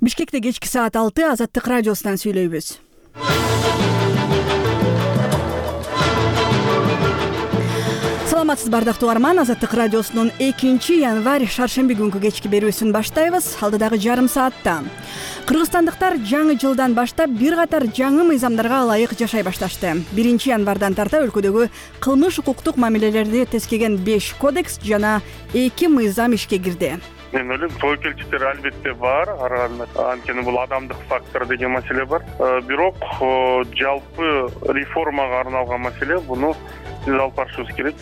Бишкекте кечки саат 6 Азаттык радиосунан сүйлөйбүз. Саламатсыз бардактуу угарман, Азаттык радиосунун 2-январь шаршемби күнкү кечки берүүсүн баштайбыз. Алдыдагы жарым саатта кыргызстандыктар жаңы жылдан баштап бир катар жаңы мыйзамдарга ылайык жашай башташты. 1-январдан тарта өлкөдөгү кылмыш укуктук мамилелерди тескеген 5 кодекс жана 2 мыйзам ишке кирди. Мен ойлойм, тобокелчиликтер албетте бар, анткени бул адамдык фактор деген маселе бар. Бирок жалпы реформага арналган маселе, буну биз алып барышыбыз керек.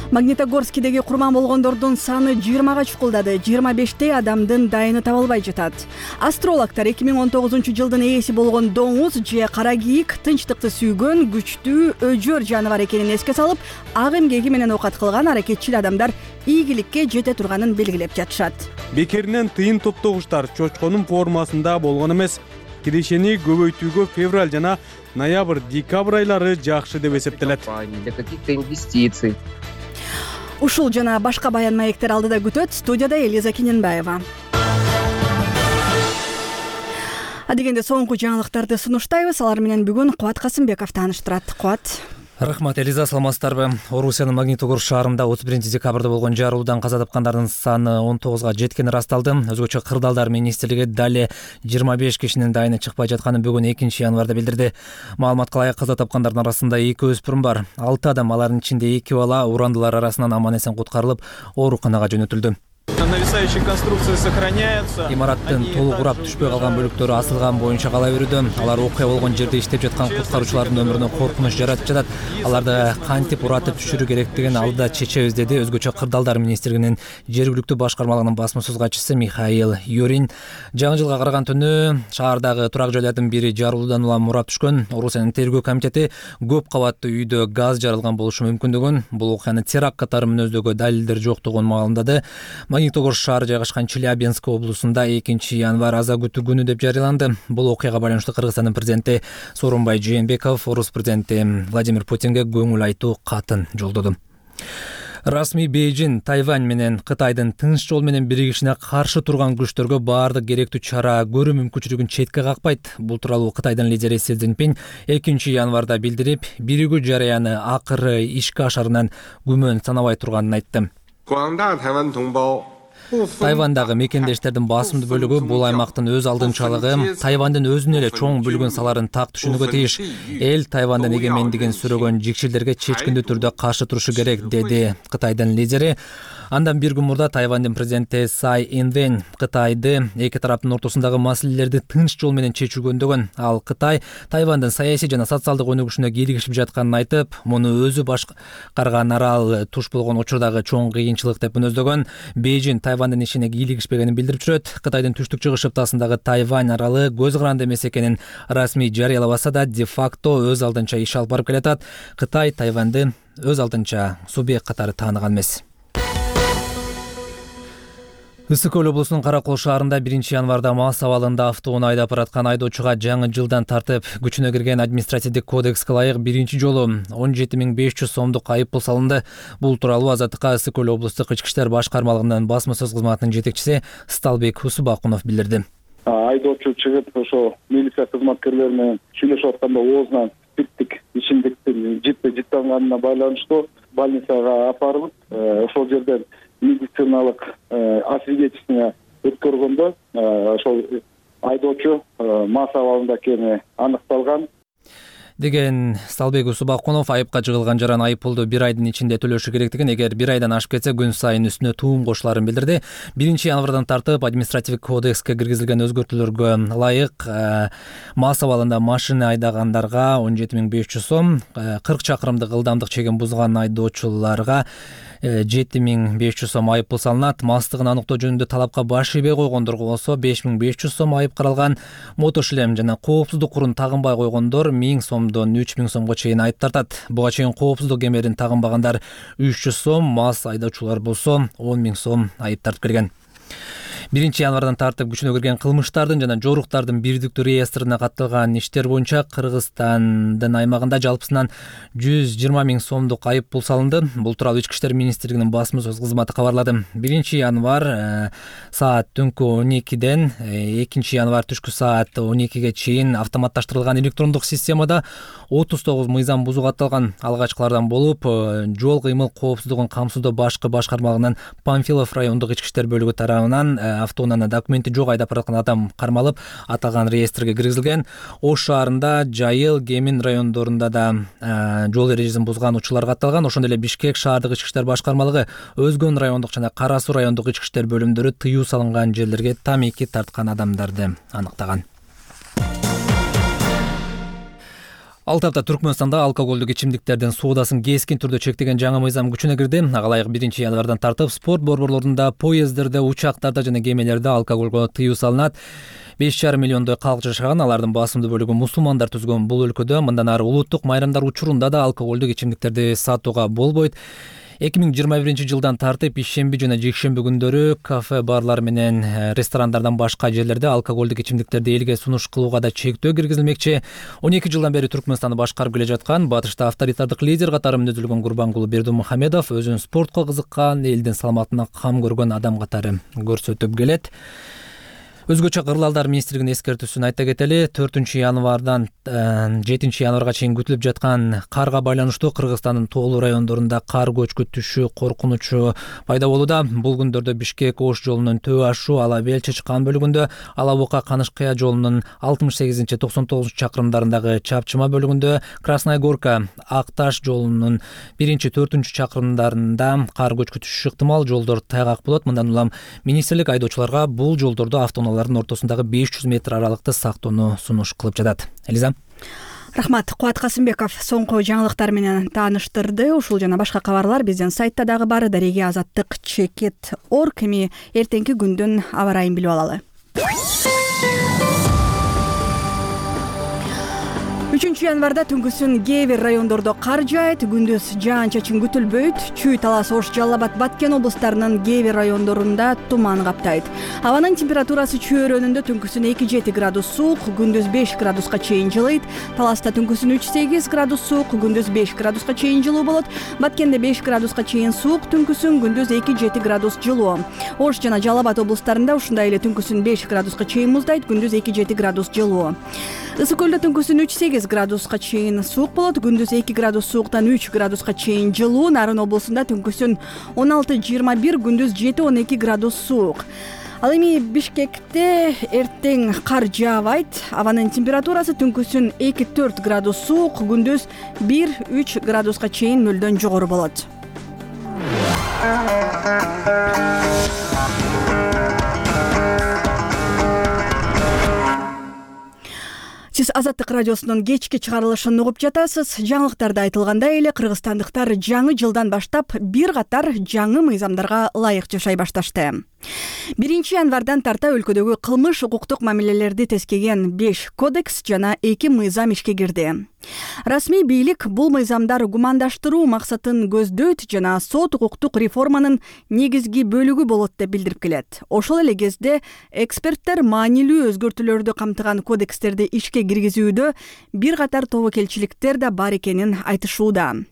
Магнитогорскидеги курман болгондордун саны 20-га чукулдады. 25 адамдын дайыны табылбай жатат. Астрологтор 2019-жылдын ээси болгон доңуз же кара кийик тынчтыкты сүйгөн күчтүү өжөр жаныбар экенин эске салып, ак эмгеги менен оокат кылган аракетчил адамдар ийгиликке жете турганын белгилеп жатышат. Бекеринен тыйын топтогучтар чочконун формасында болгон эмес. Кирешени көбөйтүүгө февраль жана ноябрь-декабрь айлары жакшы деп эсептелет. Для каких-то инвестиций. Ушул жана башка баян маектер алдыда күтөт. Студияда Элиза Кененбаева. Адегенде соңку жаңылыктарды сунуштайбыз. Алар менен бүгүн Кубат Касымбеков тааныштырат. Кубат. Рахмат, Элиза, саламатсыздарбы? Орусиянын Магнитогорск шаарында 31 декабрда болгон жарылуудан каза тапкандардын саны 19га жеткени расталды. Өзгөчө Кырдаалдар министрлиги дали 25 кишинин дайыны чыкпай жатканын бүгүн 2-январда билдирди. Маалыматка ылайык каза тапкандардын арасында 2 өспүрүм бар. 6 адам, алардын ичинде 2 бала урандылар арасынан аман-эсен куткарылып, ооруканага жөнөтүлдү. Нависающие конструкции сохраняются. Имараттын толук урап түшпөй калган бөлүктөрү асылган боюнча кала берүүдө. Алар окуя болгон жерде иштеп жаткан куткаруучулардын өмүрүнө коркунуч жаратып жатат. Аларды кантип уратып түшүрүү керектигин алда чечебиз, деди өзгөчө Кырдаалдар министрлигинин жергиликтүү башкармалыгынын басма-сөз катчысы Михаил Юрин. Жаңы жылга караган түнү шаардагы турак жайлардын бири жарылуудан улам урап түшкөн. Орусиянын тергөө комитети көп кабаттуу үйдө газ жарылган болушу мүмкүндүгүн, бул окуяны теракт катары мүнөздөгө далилдер жоктугун маалымдады. Магнитогорск шаары жайгашкан Челябинск облусунда 2-январь аза күтүү күнү деп жарыяланды. Бул окуяга байланыштуу Кыргызстандын президенти Сооронбай Жээнбеков орус президенти Владимир Путинге көңүл айтуу катын жолдоду. Расмий Бейжин Тайвань менен Кытайдын тынч жол менен биригишине каршы турган күчтөргө баардык керектүү чара көрүү мүмкүнчүлүгүн четке какпайт. Бул тууралуу Кытайдын лидери Си Цзиньпин 2-январда билдирип, биригүү жарыяны акыры ишке ашарынан күмөн санабай турганын айтты. Тайвандагы мекендештердин басымдуу бөлүгү бул аймактын өз алдынчалыгы, Тайвандын өзүнө эле чоң бүлгүн саларын так түшүнүүгө тийиш. Эл Тайвандын эгемендигин сүрөгөн жикшилдерге чечкиндүү түрдө каршы турушу керек, деди Кытайдын лидери. Андан бир күн мурда Тайвандын президенти Цай Инвэнь Кытайды эки тараптын ортосундагы маселелерди тынч жол менен чечүүгө үндөгөн. Ал Кытай Тайвандын саясий жана социалдык өнүгүшүнө кийлигишип жатканын айтып, муну өзү башкарган арал туш болгон учурдагы чоң кыйынчылык деп мүнөздөгөн. Бейжин Тайвандын ишине кийлигишпегенин билдирип жүрөт. Кытайдын түштүк чыгыш шыптасындагы Тайвань аралы көз каранды эмес экенин расмий жарыялабаса да, де-факто өз алдынча иш алып барып келатат. Кытай Тайваньды өз алдынча субъект катары тааныган эмес. Ысык көл облусунун Каракол шаарында 1-январда мас абалында автоунаа айдап бараткан айдоочуга жаңы жылдан тартып күчүнө кирген административдик кодекске ылайык биринчи жолу 17 500 сомдук айыппул салынды. Бул тууралуу Азаттыкка Ысык көл облустук ички иштер башкармалыгынын басма-сөз кызматынын жетекчиси Сталбек Усубакунов билдирди. Айдоочу чыгып ошо милиция кызматкерлери менен сүйлөшүп атканда оозунан спирттик ичимдиктин жыттанганына байланыштуу больницага апарылып, ошол жерден медициналык освидетельствование өткөргөндө ошол айдоочу мас абалында экени аныкталган, деген Сталбек Усубакунов. Айыпка жыгылган жаран айыппулду 1 айдын ичинде төлөшү керектигин, эгер 1 айдан ашып кетсе күн сайын үстүнө туум кошуларын билдирди. 1-январдан тартып административдик кодекске киргизилген өзгөртүүлөргө ылайык мас абалында машина айдагандарга 17 500 сом, 40 чакырымдык ылдамдык чегин бузган айдоочуларга 7 500 сом айыппул салынат. Мастыгын аныктоо жөнүндө талапка баш ийбей койгондорго болсо 5 500 сом айып каралган. Мотошлем жана коопсуздук курун тагынбай койгондор 1000 сомдон 3000 сомго чейин айып тартат. Буга чейин коопсуздук кемерин тагынбагандар 300 сом, мас айдоочулар болсо 10 000 сом айып тартып келген. 1 январдан тартып күчүнө кирген кылмыштардын жана жоруктардын бирдиктүү реестрине катталган иштер боюнча Кыргызстандын аймагында жалпысынан 120 000 сомдук айып пул салынды. Бул тууралуу Ички иштер министрлигинин басма сөз кызматы кабарлады. 1 январ саат түнкү 12ден 2 январ түшкү саат 12ге чейин автоматташтырылган электрондук системада 39 мыйзам бузуу катталган. Алгачкылардан болуп жол кыймыл коопсуздугун камсыздоо башкы башкармалыгынын Памфилов райондук ички иштер бөлүгү тарабынан автоунааны документи жок айдап бараткан адам кармалып, аталган реестрге киргизилген. Ош шаарында, Жайыл, Кемин райондорунда да жол эрежесин бузган учурлар катталган. Ошондой эле Бишкек шаардык ички иштер башкармалыгы Өзгөн райондук жана Кара Суу райондук ички иштер бөлүмдөрү тыюу салынган жерлерге тамеки тарткан адамдарды аныктаган. Алтапта Түркмөнстанда алкоголдук ичимдиктердин соодасын кескин түрдө чектеген жаңы мыйзам күчүнө кирди. Ага ылайык 1 январдан тартып спорт борборлорунда, поезддерде, учактарда жана кемелерде алкоголго тыюу салынат. 5,5 миллиондой калк жашаган, алардын басымдуу бөлүгү мусулмандар түзгөн бул өлкөдө мындан ары улуттук майрамдар учурунда да алкоголдук ичимдиктерди сатууга болбойт. 2021 жылдан тартып ишемби жана жекшемби күндөрү кафе, барлар менен ресторандардан башка жерлерде алкоголдук ичимдиктерди элге сунуш кылууга да чектөө киргизилмекчи. 12 жылдан бери Түркмөнстанды башкарып келе жаткан, батышта авторитардык лидер катары мүнөздөлгөн Курбангулу Бердимухамедов өзүн спортко кызыккан, элдин саламатына кам көргөн адам катары көрсөтүп келет. Өзгөчө кырлалдар министрлигинин эскертүүсүн айта кетели. 4 январдан 7 январга чейин күтүлүп жаткан карга байланыштуу Кыргызстандын тоолуу райондорунда кар көчкү түшүү коркунучу пайда болууда. Бул күндөрдө Бишкек Ош жолунун Төө Ашу, Ала Бел Чычкан бөлүгүндө, Ала Бука Канышкыя жолунун 68-99 чакырымдарындагы Чапчыма бөлүгүндө, Красная Горка Ак Таш жолунун 1-4 чакырымдарында кар көчкү түшүшү ыктымал. Жолдор тайгак болот. Мындан улам министрлик айдоочуларга бул жолдордо автоунаалардын ортосундагы 500 метр аралыкты сактоону сунуш кылып жатат. Элиза. Рахмат. Кубат Касымбеков соңку жаңылыктар менен тааныштырды. Ушул жана башка кабарлар биздин сайтта дагы бар. Дареге Азаттык Чекет.org. Эми эртеңки күндүн аба ырайын билип алалы. 3 январда түнкүсүн кээ бир райондордо кар жаайт, күндүз жаан-чачын күтүлбөйт. Чүй, Талас, Ош, Жалал Абад, Баткен облустарынын кээ бир райондорунда туман каптайт. Абанын температурасы чөйрөнүндө түнкүсүн 2-7 градус суук, күндүз 5 градуска чейин жылыйт. Таласта түнкүсүн 3-8 градус суук, күндүз 5 градуска чейин жылуу болот. Баткенде 5 градуска чейин суук, түнкүсүн күндүз 2-7 градус жылуу. Ош жана Жалал Абад облустарында ушундай эле түнкүсүн 5 градуска чейин муздайт, күндүз 2-7 градус жылуу. Ысык көлдө түнкүсүн 3-8 градуска чейин суук болот, күндүз 2 градус сууктан 3 градуска чейин жылуу. Нарын облусунда түнкүсүн 16-21, күндүз 7-12 градус суук. Ал эми Бишкекте эртең кар жаабайт. Абанын температурасы түнкүсүн 2-4 градус суук, күндүз 1-3 градуска чейин нөлдөн жогору болот. Сиз Азаттык радиосунун кечки чыгарылышын угуп жатасыз. Жаңылыктарда айтылгандай эле кыргызстандыктар жаңы жылдан баштап бир катар жаңы мыйзамдарга ылайык жашай башташты. 1 январдан тарта өлкөдөгү кылмыш укуктук мамилелерди тескеген 5 кодекс жана 2 мыйзам ишке кирди. Расмий бийлик бул мыйзамдар гумандаштыруу максатын көздөйт жана сот укуктук реформанын негизги бөлүгү болот деп билдирип келет. Ошол эле кезде эксперттер маанилүү өзгөртүүлөрдү камтыган кодекстерди ишке киргизүүдө бир катар тобокелчиликтер да бар экенин айтышууда.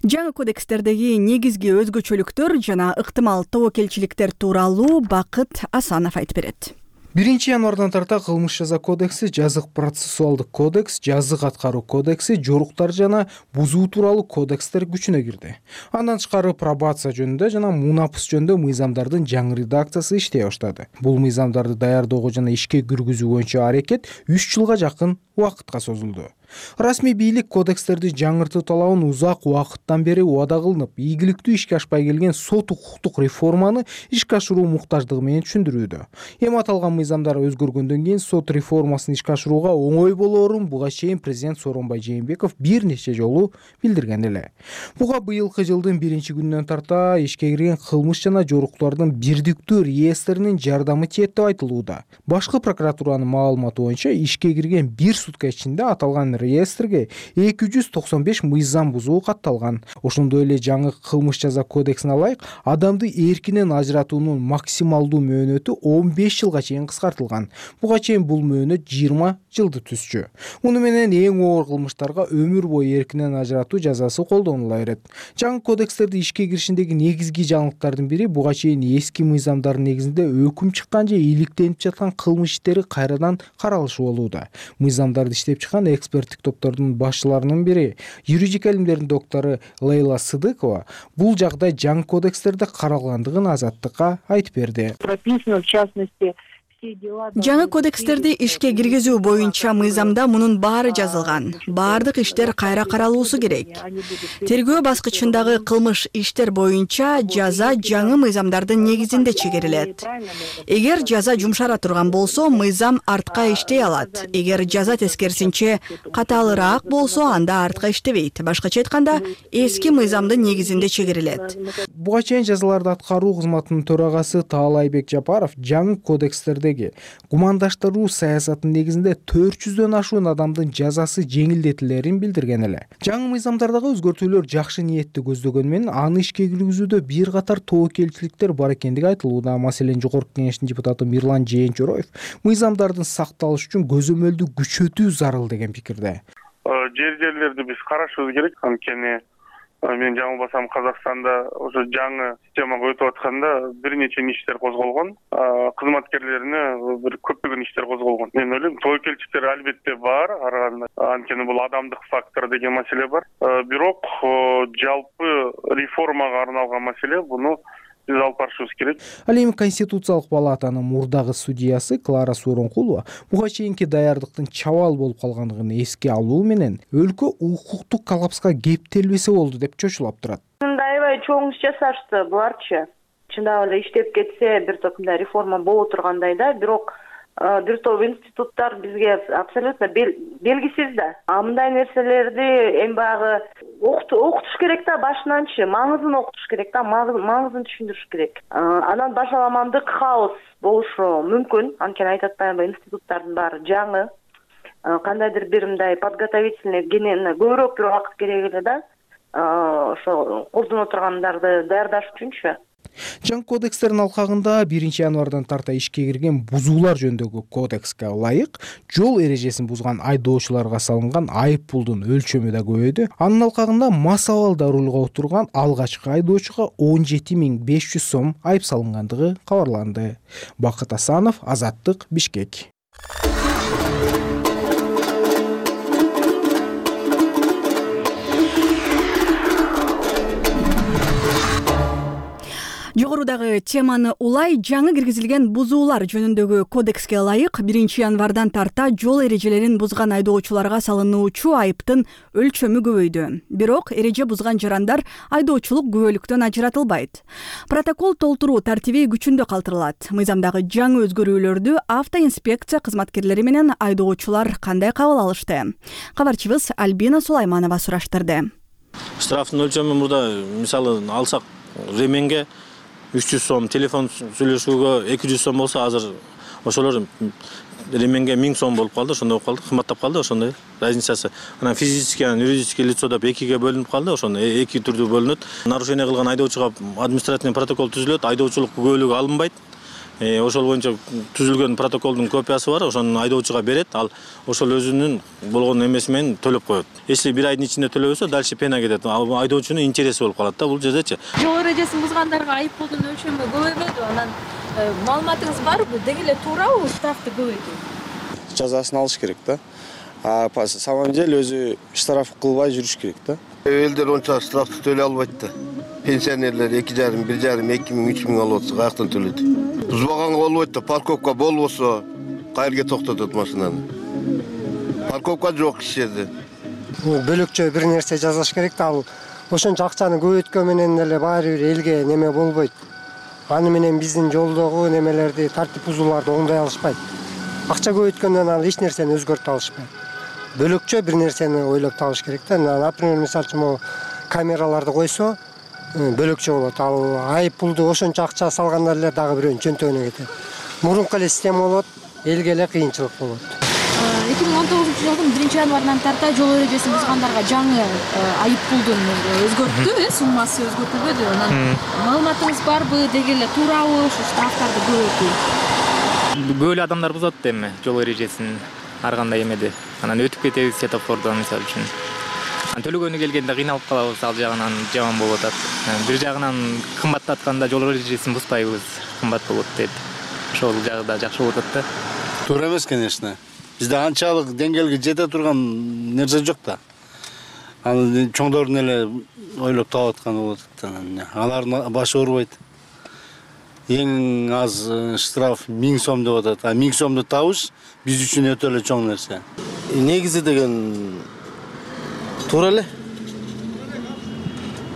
Жаңы кодекстердеги негизги өзгөчөлүктөр жана ыктымал тобокелчиликтер тууралуу Бакыт Асанов айтып берет. 1 январдан тарта кылмыш жаза кодекси, жазык процессуалдык кодекс, жазык аткаруу кодекси, жоруктар жана бузуу тууралуу кодекстер күчүнө кирди. Андан тышкары пробация жөнүндө жана мунапыс жөнүндө мыйзамдардын жаңы редакциясы иштей баштады. Бул мыйзамдарды даярдоого жана ишке киргизүү боюнча аракет 3 жылга жакын убакытка созулду. Расмий бийлик кодекстерди жаңыртуу талабын узак убакыттан бери убада кылынып, ийгиликтүү ишке ашпай келген сот укуктук реформаны ишке ашыруу муктаждыгы менен түшүндүрүүдө. Эми аталган мыйзамдар өзгөргөндөн кийин сот реформасын ишке ашырууга оңой болоорун буга чейин президент Сооронбай Жээнбеков бир нече жолу билдирген эле. Буга быйылкы жылдын 1 күнүнөн тарта ишке кирген кылмыш жана жоруктардын бирдиктүү реестринин жардамы тиет деп айтылууда. Башкы прокуратуранын маалыматы боюнча ишке кирген 1 сутка ичинде аталган реестрге 295 мыйзам бузуу катталган. Ошондой эле жаңы кылмыш жаза кодексине ылайык адамды эркинен ажыратуунун максималдуу мөөнөтү 15 жылга чейин кыскартылган. Буга чейин бул мөөнөт 20 жылды түзчү. Муну менен эң оор кылмыштарга өмүр бою эркинен ажыратуу жазасы колдонула берет. Жаңы кодекстерди ишке киришиндеги негизги жаңылыктардын бири буга чейин эски мыйзамдардын негизинде өкүм чыккан же иликтенип жаткан кылмыш иштери кайрадан каралышы болууда. Мыйзамдарды иштеп чыккан эксперттик топтордун башчыларынын бири, юридика илимдеринин доктору Лейла Сыдыкова бул жагдай жаңы кодекстерде каралгандыгын Азаттыкка айтып берди. Прописано, в частности, жаңы кодекстерди ишке киргизүү боюнча мыйзамда мунун баары жазылган. Баардык иштер кайра каралуусу керек. Тергөө баскычындагы кылмыш иштер боюнча жаза жаңы мыйзамдардын негизинде чегерилет. Эгер жаза жумшара турган болсо, мыйзам артка иштей алат. Эгер жаза тескерисинче катаалыраак болсо, анда артка иштебейт. Башкача айтканда, эски мыйзамдын негизинде чегерилет. Буга чейин жазаларды аткаруу кызматынын төрагасы Таалайбек Жапаров жаңы кодекстердеги гумандаштыруу саясатынын негизинде 400дөн ашуун адамдын жазасы жеңилдетилерин билдирген эле. Жаңы мыйзамдардагы өзгөртүүлөр жакшы ниетти көздөгөнү менен аны ишке киргизүүдө бир катар тобокелчиликтер бар экендиги айтылууда. Маселен, Жогорку Кеңештин депутаты Мирлан Жээнчороев мыйзамдардын сакталышы үчүн көзөмөлдү күчөтүү зарыл деген пикирде. Жерлерди биз карашыбыз керек. Анткени мен жаңылбасам Казакстанда ошо жаңы системага өтүп атканда бир нече иштер козголгон, кызматкерлерине бир көптөгөн иштер козголгон. Мен ойлойм, тобокелчиликтер албетте бар, анткени бул адамдык фактор деген маселе бар. Бирок жалпы реформага арналган маселе, буну биз алып барышыбыз керек. Ал эми Конституциялык палатанын мурдагы судьясы Клара Сооронкулова буга чейинки даярдыктын чабал болуп калгандыгын эске алуу менен өлкө укуктук коллапска кептелбесе болду деп чочулап турат. Аябай чоң иш жасашты буларчы. Чындап эле иштеп кетсе, бир топ мындай реформа боло тургандай да, бирок бир топ институттар бизге абсолютно белгисиз да. Мындай нерселерди эми баягы окутуш керек да, башынанчы маңызын окутуш керек да, маңызын түшүндүрүш керек. Анан башаламандык, хаос болушу мүмкүн. Анткени айтып атпаймынбы, институттардын баары жаңы. Кандайдыр бир мындай подготовительный көбүрөөк бир убакыт керек эле да. Ошо колдоно тургандарды даярдаш үчүнчү. Жаңы кодекстердин алкагында 1 январдан тарта ишке кирген бузуулар жөнүндөгү кодекске ылайык жол эрежесин бузган айдоочуларга салынган айып пулдун өлчөмү да көбөйдү. Анын алкагында мас абалда рулга отурган алгачкы айдоочуга 17.500 сом айып салынгандыгы кабарланды. Бакыт Асанов, Азаттык, Бишкек. Жогорудагы теманы улай жаңы киргизилген бузуулар жөнүндөгү кодекске ылайык 1 январдан тарта жол эрежелерин бузган айдоочуларга салынуучу айыптын өлчөмү көбөйдү. Бирок эреже бузган жарандар айдоочулук күбөлүктөн ажыратылбайт. Протокол толтуруу тартиби күчүндө калтырылат. Мыйзамдагы жаңы өзгөрүүлөрдү автоинспекция кызматкерлери менен айдоочулар кандай кабыл алышты? Кабарчыбыз Альбина Сулайманова сураштырды. Штрафтын өлчөмү мурда мисалы алсак ременге 300 сом, телефон сүйлөшүүгө 200 сом болсо, азыр ошолор ременге 1000 сом болуп калды, ошондой болуп калды, кымбаттап калды ошондой разницасы. Анан физический, юридический лицо деп экиге бөлүнүп калды, ошондой эки түрдүү бөлүнөт. Нарушение кылган айдоочуга административный протокол түзүлөт, айдоочулук күбөлүгү алынбайт. Ошол боюнча түзүлгөн протоколдун копиясы бар, ошону айдоочуга берет, ал ошол өзүнүн болгон эмеси менен төлөп коет. Если бир айдын ичинде төлөбөсө, дальше пена кетет. Айдоочунун интереси болуп калат да бул жердечи. Жол эрежесин бузгандарга айып пулдун өлчөмү көбөйбөдү. Анан маалыматыңыз барбы? Деги эле туурабы штрафты көбөйтүү? Жазасын алыш керек да. По самом деле өзү штраф кылбай жүрүш керек да. Элдер онча штрафты төлөй албайт да. Пенсионерлер 2,5, 1,5, 2,000, 3,000 алып атса, каяктан төлөйт? Бузбаганга болбойт да, парковка болбосо кайерге токтотот машинаны? Парковка жок иш жерде. Бөлөкчө бир нерсе жазаш керек да, ал ошончо акчаны көбөйткөн менен эле баары бир элге неме болбойт. Аны менен биздин жолдогу немелерди, тартип бузууларды оңдой алышпайт. Акча көбөйткөндөн ал эч нерсени өзгөртө алышпайт. Бөлөкчө бир нерсени ойлоп табыш керек да. Например, мисалы үчүн камераларды койсо, бөлөкчө болот. Ал айып пулду ошончо акча салгандар эле дагы бирөөнүн чөнтөгүнө кетет. Мурунку эле система болот, элге эле кыйынчылык болот. жылдын 1-январынан тарта жол эрежесин бузгандарга жаңы айып пулдун өзгөрттү, суммасы өзгөртүлбөдү. Анан маалыматыңыз барбы, деги эле туурабы ушу штрафтарды көбөйтүү? Көп эле адамдар бузат эми жол эрежесин ар кандай эмеде. Анан өтүп кетебиз светофордон мисалы үчүн. Төлөгөнү келгенде кыйналып калабыз, ал жагынан жаман болуп атат. Бир жагынан кымбаттатканда жол эрежесин бузбайбыз, кымбат болот дейт. Ошол жагы да жакшы болуп атат да. Туура эмес, конечно. Бизде анчалык деңгээлге жете турган нерсе жок да. Аны чоңдордун эле ойлоп таап атканы болот атат. Алардын башы оорубайт. Эң аз штраф 1000 сом деп атат. 1000 сомду табыш биз үчүн өтө эле чоң нерсе. Негизи деген туура эле.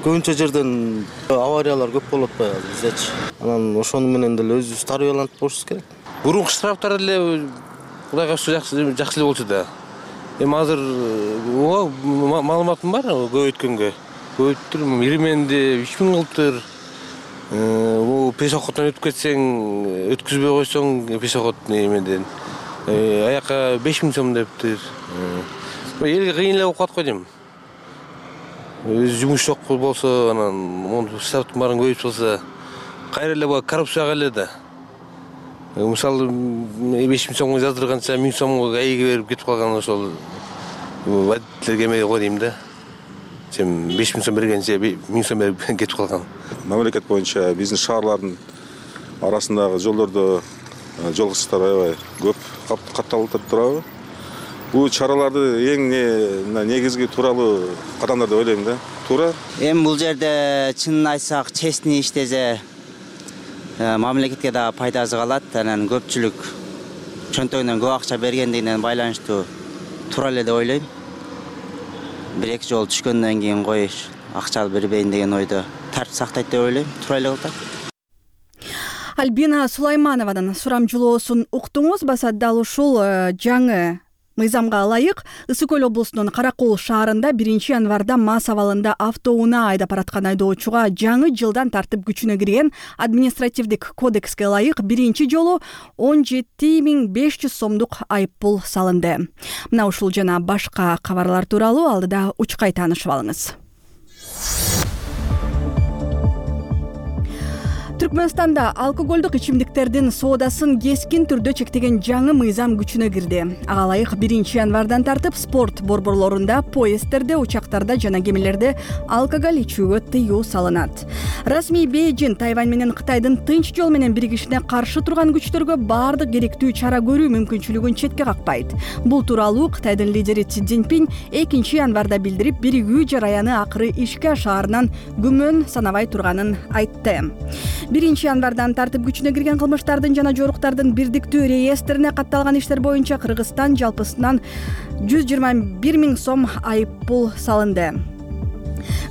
Көбүнчө жерден авариялар көп болуп атпайбы биздечи. Анан ошону менен деле өзүбүз тарбияланып болушубуз керек. Бурунку штрафтар эле Кудайга жакшы эле болчу да. Эми азыр маалыматым бар көбөйткөнгө. Көбөйттүр, ирименди 3000 кылыптыр. Бул пешоходдон өтүп кетсең, өткүзбөй койсоң пешоход эмеден аяка 5000 сом дептир. Элге кыйын эле болуп калат го дейм. Жумуш жок болсо, анан монтип штрафтын баарын көбөйтүп салса, кайра эле коррупцияга эле да. Мисалы 5000 сомго жаздырганча 1000 сомго айыгы берип кетип калган ошол водительдерге эме го дейм да. Сен 5000 сом бергенче 1000 сом берип кетип калган. Мамлекет боюнча биздин шаарлардын арасындагы жолдордо жол кырсыктары аябай көп катталып турабы. Бул чараларды эң негизги тууралуу кадамдар деп ойлойм да. Туура. Эми бул жерде чынын айтсак, честный иштесе мамлекетке да пайдасы калат. Анан көпчүлүк чөнтөгүнөн көп акча бергендигинен байланыштуу туура эле деп ойлойм. 1-2 жол түшкөндөн кийин коюш, акча бербейин деген ойдо тартип сактайт деп ойлойм. Туура эле кылат. Альбина Сулаймановадан сурамжылоосун уктуңуз. Баса дал ушул жаңы мыйзамга ылайык Ысык Көл облусунун Каракол шаарында 1-январда мас абалында автоунаа айдап бараткан айдоочуга жаңы жылдан тартып күчүнө кирген административдик кодекске ылайык биринчи жолу 17500 сомдук айып пул салынды. Мына ушул жана башка кабарлар тууралуу алдыда учкай таанышып алыңыз. Түркмөнстанда алкоголдук ичимдиктердин соодасын кескин түрдө чектеген жаңы мыйзам күчүнө кирди. Ага ылайык 1-январдан тартып спорт борборлорунда, поезддерде, учактарда жана кемелерде алкоголь ичүүгө тыюу салынат. Расмий Бейжин Тайвань менен Кытайдын тынч жол менен биригишине каршы турган күчтөргө баардык керектүү чара көрүү мүмкүнчүлүгүн четке какпайт. Бул тууралуу Кытайдын лидери Си Цзиньпин 2-январда билдирип, биригүү жараяны акыры ишке ашаарынан күмөн санабай турганын айтты. 1-январдан тартып күчүнө кирген кылмыштардын жана жоруктардын бирдиктүү реестрине катталган иштер боюнча Кыргызстан жалпысынан 121 000 сом айып пул салынды.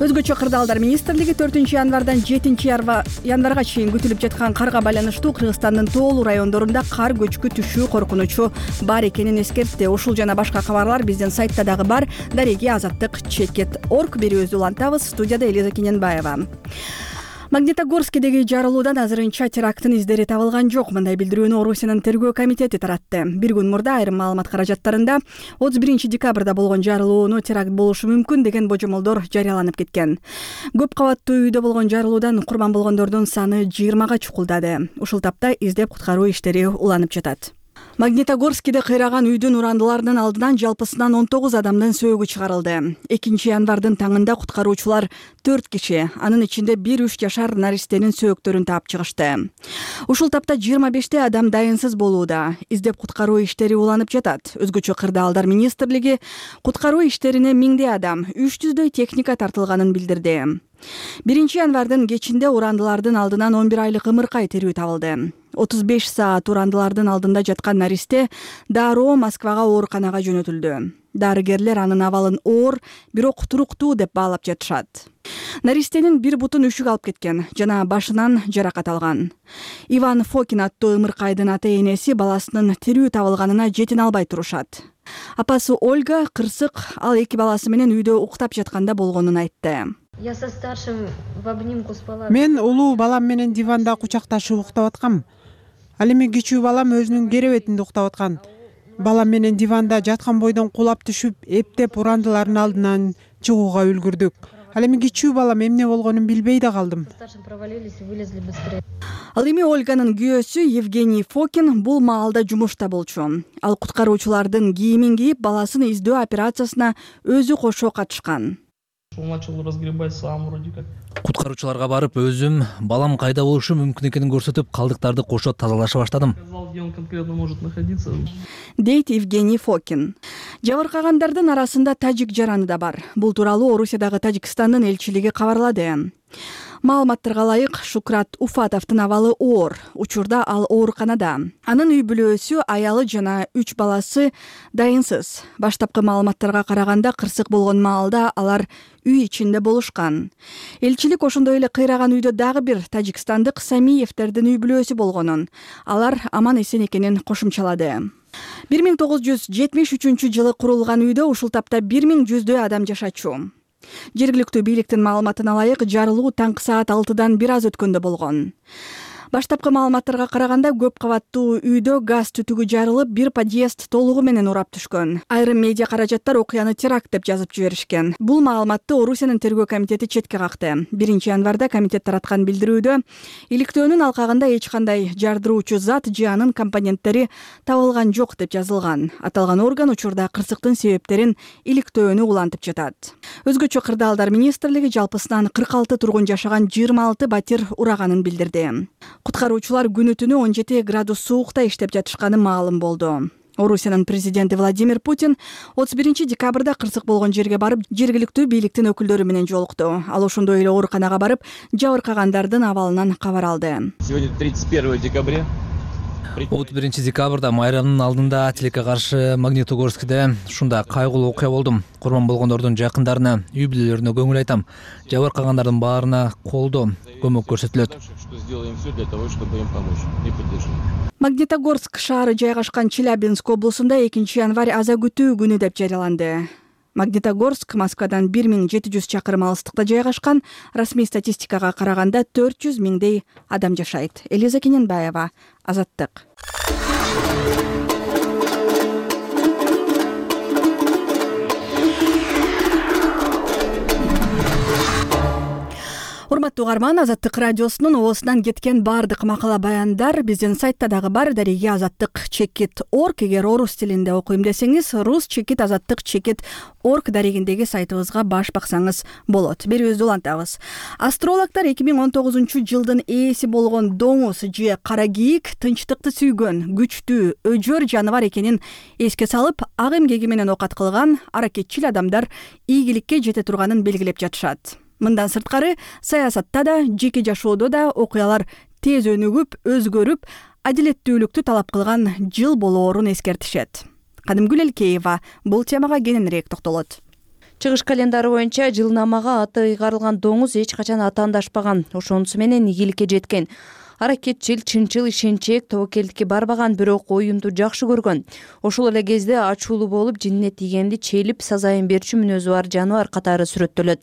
Өзгөчө кырдаалдар министрлиги 4-январдан 7-январга чейин күтүлүп жаткан карга байланыштуу Кыргызстандын тоолуу райондорунда кар көчкү түшүү коркунучу бар экенин эскертти. Ушул жана башка кабарлар биздин сайтта дагы бар. Дареги azаттык.org берүүбүздү улантабыз. Студияда Элиза Кененбаева. Магнитогорскидеги жарылуудан азырынча теракттын издери табылган жок. Мындай билдирүүнү Орусиянын тергөө комитети таратты. Бир күн мурда айрым маалымат каражаттарында 31 декабрда болгон жарылууну теракт болушу мүмкүн деген божомолдор жарыяланып кеткен. Көп кабаттуу үйдө болгон жарылуудан курман болгондордун саны 20га чукулдады. Ушул тапта издеп куткаруу иштери уланып жатат. Магнитогорскиде кыйраган үйдүн урандыларынын алдынан жалпысынан 19 адамдын сөөгү чыгарылды. 2-январдын таңында куткаруучулар 4 киши, анын ичинде 1-3 жашар наристенин сөөктөрүн таап чыгышты. Ушул тапта 25 адам дайынсыз болууда. Издеп куткаруу иштери уланып жатат. Өзгөчө кырдаалдар министрлиги куткаруу иштерине 1000 адам, 300дөй техника тартылганын билдирди. 1-январдын кечинде урандылардын алдынан 11 айлык ымыркай тирүү табылды. 35 саат урандылардын алдында жаткан наристе дароо Москвага ооруканага жөнөтүлдү. Дарыгерлер анын абалын оор, бирок туруктуу деп баалап жатышат. Наристенин бир бутун үшүк алып кеткен жана башынан жаракат алган. Иван Фокин аттуу ымыркайдын ата-энеси баласынын тирүү табылганына жетине албай турушат. Апасы Ольга кырсык ал 2 баласы менен үйдө уктап жатканда болгонун айтты. Я со старшим в обнимку спала. Мен улуу балам менен диванда кучакташып уктап аткам. Ал эми кичүү балам өзүнүн керебетинде уктап аткан. балам менен диванда жаткан бойдон кулап түшүп, эптеп урандылардын алдынан чыгууга үлгүрдүк. Ал эми кичүү балам эмне болгонун билбей да калдым. Ал эми Ольганын күйөөсү Евгений Фокин бул маалда жумушта болчу. Ал куткаруучулардын кийимин кийип, баласын издөө операциясына өзү кошо катышкан. Куткаруучуларга барып, өзүм балам кайда болушу мүмкүн экенин көрсөтүп, калдыктарды кошо тазалаша баштадым. Дейт Евгений Фокин. Жабыркагандардын арасында тажик жараны да бар. Бул тууралуу Орусиядагы Тажикстандын элчилиги кабарлады. Маалыматтарга ылайык, Шукрат Уфатовдун абалы оор. Учурда ал ооруканада. Анын үй бүлөсү, аялы жана 3 баласы дайынсыз. Баштапкы маалыматтарга караганда, кырсык болгон маалда алар үй ичинде болушкан. Элчилик ошондой эле кыйраган үйдө дагы бир тажикстандык Самиевтердин үй бүлөсү болгонун, алар аман эсен экенин кошумчалады. 1973 жылы курулган үйдө ушул тапта 1100 адам жашачу. Жергиликтүү бийликтин маалыматына ылайык, жарылуу таңкы саат 6-дан бир аз өткөндө болгон. Баштапкы маалыматтарга караганда, көп кабаттуу үйдө газ түтүгү жарылып, бир подъезд толугу менен урап түшкөн. Айрым медиа каражаттар окуяны теракт деп жазып жиберишкен. Бул маалыматты Орусиянын тергөө комитети четке какты. 1-январда комитет тараткан билдирүүдө иликтөөнүн алкагында эч кандай жардыруучу зат же анын компоненттери табылган жок деп жазылган. Аталган орган учурда кырсыктын себептерин иликтөөнү улантып жатат. Өзгөчө кырдаалдар министрлиги жалпысынан 46 тургун жашаган 26 батир ураганын билдирди. Куткаруучулар күнү түнү 17 градус суукта иштеп жатышканы маалым болду. Орусиянын президенти Владимир Путин 31 декабрда кырсык болгон жерге барып, жергиликтүү бийликтин өкүлдөрү менен жолукту. Ал ошондой эле ооруканага барып, жабыркагандардын абалынан кабар алды. Сегодня 31 декабря. 31 декабрда майрамдын алдында тилекке каршы Магнитогорскиде ушундай кайгылуу окуя болдум. Курман болгондордун жакындарына, үй бүлөлөрүнө көңүл айтам. Жабыркагандардын баарына колдоо, көмөк көрсөтүлөт. Магнитогорск шаары жайгашкан Челябинск облусунда 2-январь аза күтүү күнү деп жарыяланды. Магнитогорск Москвадан 1700 чакырым алыстыкта жайгашкан. Расмий статистикага караганда 400 миңдей адам жашайт. Элиза Кененбаева, Азаттык. Урматтуу угарман, Азаттык радиосунун оозунан кеткен баардык макала баяндар биздин сайтта дагы бар. Дареги azattik.org. Эгер орус тилинде окуйм десеңиз, rus-azattik.org дарегиндеги сайтыбызга баш баксаңыз болот. Берүүбүздү улантабыз. Астрологдор 2019 жылдын ээси болгон доңуз же кара кийик тынчтыкты сүйгөн, күчтүү, өжөр жаныбар экенин эске салып, ак эмгеги менен окат кылган аракетчил адамдар ийгиликке жете турганын белгилеп жатышат. Мындан сырткары, саясатта да, жеке жашоодо да окуялар тез өнүгүп, өзгөрүп, адилеттүүлүктү талап кылган жыл болоорун эскертишет. Кадымгүл Элкеева бул темага кененирээк токтолот. Чыгыш календары боюнча жылнамага аты ыйгарылган доңуз эч качан атаандашпаган, ошонусу менен ийгиликке жеткен. Аракетчил, чынчыл, ишенчээк, тобокелдикке барбаган, бирок оюмду жакшы көргөн. Ошол эле кезде ачуулуу болуп, жинне тийгенди челип, сазайын берчү мүнөзү бар жаныбар катары сүрөттөлөт.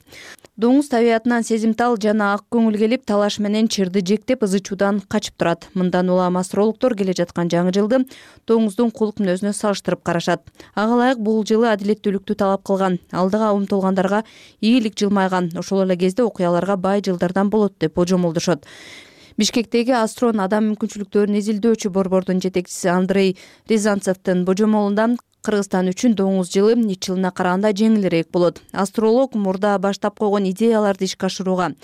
Доңуз табиятынан сезимтал жана ак көңүл келип, талаш менен чырды жектеп, ызычуудан качып турат. Мындан улам астрологдор келе жаткан жаңы жылды доңуздун кулук мүнөзүнө салыштырып карашат. Ага ылайык бул жылы адилеттүүлүктү талап кылган, алдыга умтулгандарга ийгилик жылмайган, ошол эле кезде окуяларга бай жылдардан болот деп божомолдошот. Бишкектеги Астрон адам мүмкүнчүлүктөрүн изилдөөчү борбордун жетекчиси Андрей Рязанцевдин божомолунда Кыргызстан үчүн доңуз жылы ич жылына караганда жеңилирээк болот. Астролог мурда баштап койгон идеяларды ишке ашырууга,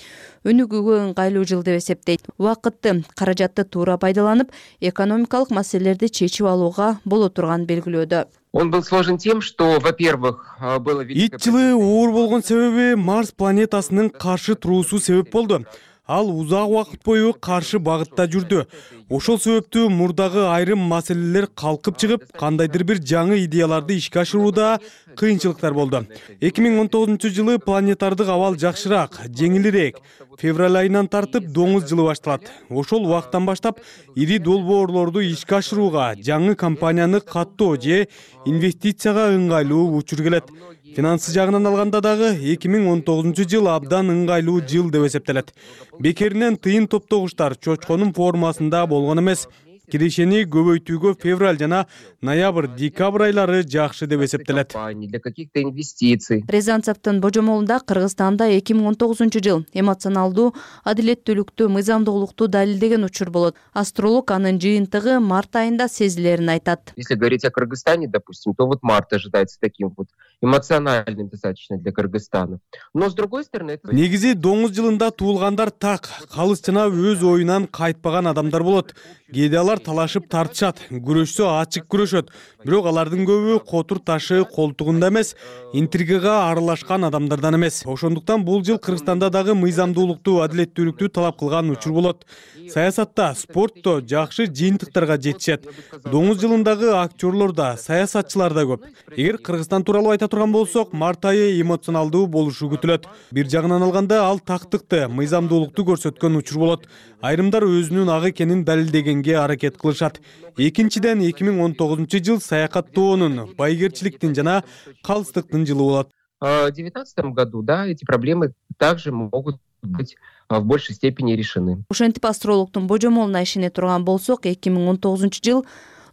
өнүгүүгө ыңгайлуу жыл деп эсептейт. Убакытты, каражатты туура пайдаланып, экономикалык маселелерди чечип алууга боло турганын белгилөөдө. Он был сложен тем, что, во-первых, было... Ит жылы оор болгон себеби Марс планетасынын каршы туруусу себеп болду. Ал узак убакыт бою каршы багытта жүрдү. Ошол себептүү мурдагы айрым маселелер калкып чыгып, кандайдыр бир жаңы идеяларды ишке ашырууда кыйынчылыктар болду. 2019 жылы планетардык абал жакшыраак, жеңилирээк. Февраль айынан тартып доңуз жылы башталат. Ошол убакыттан баштап ири долбоорлорду ишке ашырууга, жаңы компанияны каттоо же инвестицияга ыңгайлуу учур келет. Финансы жагынан алганда дагы 2019 жыл абдан ыңгайлуу жыл деп эсептелет. Бекеринен тыйын топтогучтар чочконун формасында болгон эмес. кирешени көбөйтүүгө февраль жана ноябрь-декабрь айлары жакшы деп эсептелет. Для каких-то инвестиций. Рязанцевдин божомолунда Кыргызстанда 2019 эмоционалдуу, адилеттүүлүктү, мыйзамдуулукту далилдеген учур болот. Астролог анын жыйынтыгы март айында сезилерин айтат. Если говорить о Кыргызстане, допустим, то март ожидается таким эмоциональным достаточно для Кыргызстана. Но с другой стороны, негизи доңуз жылында туулгандар так, калыс жана өз оюнан кайтпаган адамдар болот. Кээде алар талашып тартышат, күрөшсө ачык күрөшөт. Бирок алардын көбү котур ташы колтугунда эмес, интригага аралашкан адамдардан эмес. Ошондуктан бул жыл Кыргызстанда дагы мыйзамдуулукту, адилеттүүлүктү талап кылган учур болот. Саясатта, спортто жакшы жыйынтыктарга жетишет. Доңуз жылындагы актерлор да, саясатчылар да көп. Эгер Кыргызстан тууралуу айта турган болсок, март айы эмоционалдуу болушу күтүлөт. Бир жагынан алганда ал тактыкты, мыйзамдуулукту көрсөткөн учур болот. Айрымдар өзүнүн ак экенин далилдегенге аракет кылышат. Экинчиден 2019 жыл саякаттоонун, байгерчиликтин жана калыстыктын жылы болот. В 2019 году, да, эти проблемы также могут быть в большей степени решены. Ошентип астрологдун божомолуна ишене турган болсок, 2019 жыл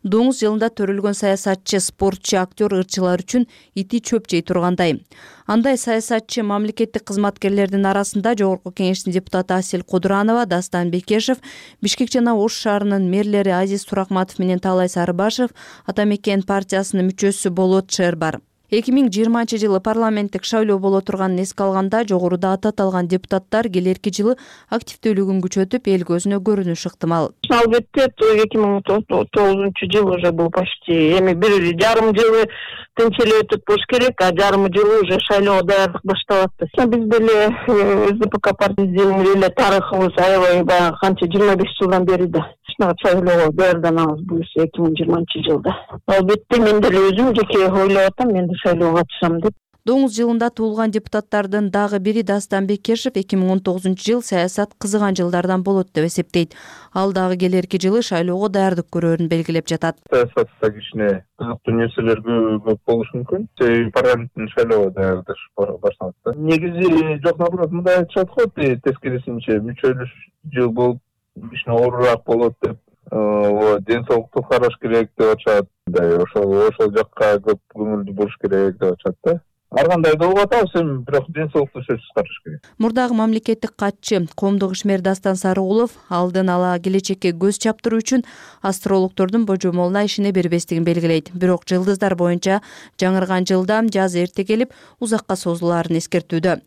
доңуз жылында төрөлгөн саясатчы, спортчу, актер, ырчылар үчүн ити чөп жей тургандай. Андай саясатчы мамлекеттик кызматкерлердин арасында Жогорку Кеңештин депутаты Асель Кудуранова, Дастан Бекешев, Бишкек жана Ош шаарынын мэрлери Азиз Туракматов менен Таалай Сарыбашев, Ата Мекен партиясынын мүчөсү Болот Шер бар. 2020 жылы парламенттик шайлоо боло турганын эске алганда жогоруда аталган депутаттар келерки жылы активдүүлүгүн күчөтүп, эл көзүнө көрүнүш ыктымал. Албетте, 2019 жыл уже был почти эми бир жарым жылы тынч эле өтүп болуш керек, а жарым жылы уже шайлоого даярдык башталат. Биз деле СДПК партиясынын эле тарыхыбыз аябай баягы канча 25 жылдан бери да шайлоого даярданабыз бул 2020 жылда. Албетте мен деле өзүм жеке ойлоп атам, мен шайлоого катышам деп. Доңуз жылында туулган депутаттардын дагы бири Дастан Бекешев 2019 жыл саясат кызыган жылдардан болот деп эсептейт. Ал дагы келерки жылы шайлоого даярдык көрөрүн белгилеп жатат. Саясатта кичине кызыктуу нерселер көп болушу мүмкүн. Парламенттин шайлоого даярдыш башталат да. Негизи жок, наоборот, мындай айтышат го, тескерисинче мүчөлүш жыл болуп кичине оорураак болот деп. Ден соолукту караш керек деп атышат. Ошол жакка көп көңүлдүү болуш керек деп атышат да. Ар кандай да болуп атабыз, эми бирок ден соолукту сөзсүз караш керек. Мурдагы мамлекеттик катчы, коомдук ишмер Дастан Сарыгулов алдын ала келечекке көз чаптыруу үчүн астрологдордун божомолуна ишене бербестигин белгилейт. Бирок жылдыздар боюнча жаңырган жылда жаз эрте келип, узакка созулаарын эскертүүдө.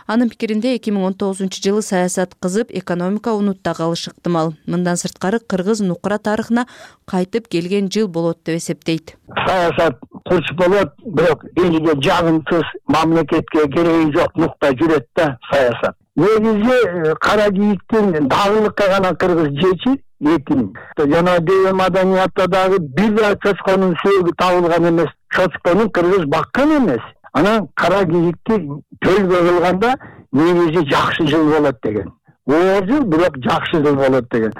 Анын пикиринде 2019 жылы саясат кызып, экономика унутта калышы ыктымал. Мындан сырткары Кыргыз нукура тарыхына кайтып келген жыл болот деп эсептейт. Саясат курч болот, бирок элге жагымсыз, мамлекетке кереги жок нукта жүрөт да саясат. Негизи кара кийиктин дагылыкка гана кыргыз жечи этин. Жана дөө маданиятта дагы бир да чочконун сөөгү табылган эмес. Чочкону кыргыз баккан эмес. Анан кара кийикти төлгө кылганда негизи жакшы жыл болот деген. Оор жыл, бирок жакшы жыл болот деген.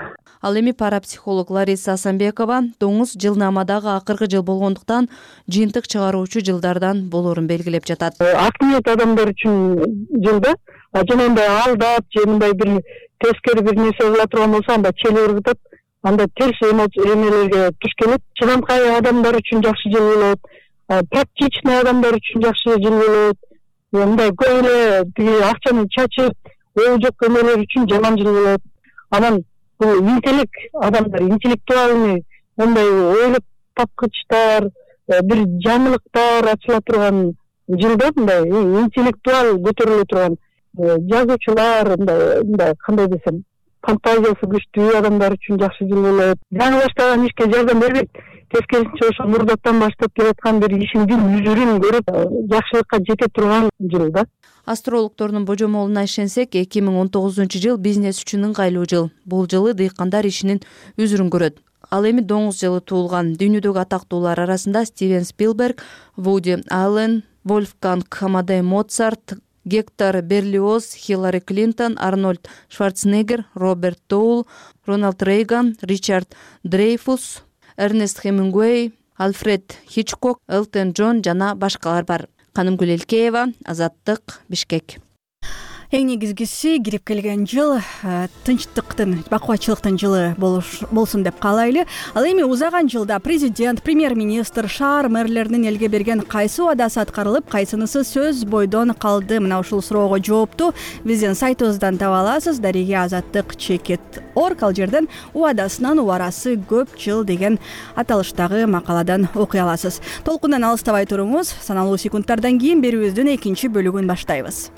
Ал эми парапсихолог Лариса Асанбекова доңуз жылнамадагы акыркы жыл болгондуктан жыйынтык чыгаруучу жылдардан болоорун белгилеп жатат. Акниет адамдар үчүн жылда жанагындай алдап же мындай бир тескери бир нерсе кыла турган болсо, анда чели ыргытып, анда терс эмелерге туш келет. Чыдамкай адамдар үчүн жакшы жыл болот. Практичный адамдар үчүн жакшы жыл болот. Мындай көп эле тиги акчаны чачып, ою жок эмелер үчүн жаман жыл болот. Анан бул интеллект адамдар, интеллектуальный, мындай ойлоп тапкычтар, бир жаңылыктар ачыла турган жылда, мындай интеллектуал көтөрүлө турган жазуучулар, мындай кандай десем, фантазиясы күчтүү адамдар үчүн жакшы жыл болот. Жаңы баштаган ишке жардам бербейт. Тескерисинче ошо мурдаттан баштап келаткан бир ишиңдин үзүрүн көрүп, жакшылыкка жете турган жыл да. Астрологдордун божомолуна ишенсек, 2019 жыл бизнес үчүн ыңгайлуу жыл. Бул жылы дыйкандар ишинин үзүрүн көрөт. Ал эми доңуз жылы туулган дүйнөдөгү атактуулар арасында Стивен Спилберг, Вуди Аллен, Вольфганг Амадей Моцарт, Гектор Берлиоз, Хиллари Клинтон, Арнольд Шварценеггер, Роберт Доул, Рональд Рейган, Ричард Дрейфус, Эрнест Хемингуэй, Альфред Хичкок, Элтон Джон жана башкалар бар. Канымгүл Элкеева, Азаттык, Бишкек. Эң негизгиси кирип келген жыл тынчтыктын, бакубатчылыктын жылы болсун деп каалайлы. Ал эми узаган жылда президент, премьер-министр, шаар мэрлеринин элге берген кайсы убадасы аткарылып, кайсынысы сөз бойдон калды? Мына ушул суроого жоопту биздин сайтыбыздан таба аласыз. Дарига Азаттык _org ал жерден убадасынан убарасы көп жыл деген аталыштагы макаладан окуй аласыз. Толкундан алыстабай туруңуз. Саналуу секундтардан кийин берүүбүздүн экинчи бөлүгүн баштайбыз.